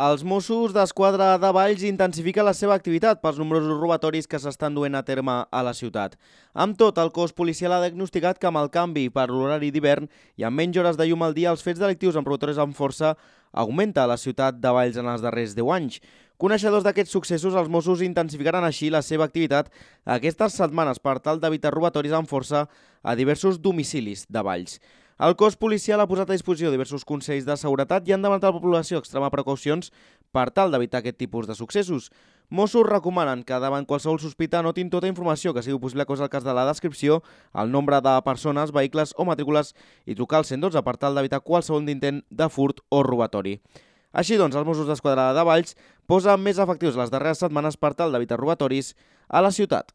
Els Mossos d'Esquadra de Valls intensifiquen la seva activitat pels nombrosos robatoris que s'estan duent a terme a la ciutat. Amb tot, el cos policial ha diagnosticat que amb el canvi per l'horari d'hivern i amb menys hores de llum al dia, els fets delictius amb robatoris amb força augmenta a la ciutat de Valls en els darrers 10 anys. Coneixedors d'aquests successos, els Mossos intensificaran així la seva activitat aquestes setmanes per tal d'evitar robatoris amb força a diversos domicilis de Valls. El cos policial ha posat a disposició diversos consells de seguretat i han demanat a la població extremar precaucions per tal d'evitar aquest tipus de successos. Mossos recomanen que davant qualsevol sospita anotin tota informació que sigui possible, cosa el cas de la descripció, el nombre de persones, vehicles o matrícules i trucar al 112 per tal d'evitar qualsevol intent de furt o robatori. Així doncs, els Mossos d'Esquadra de Valls posen més efectius les darreres setmanes per tal d'evitar robatoris a la ciutat.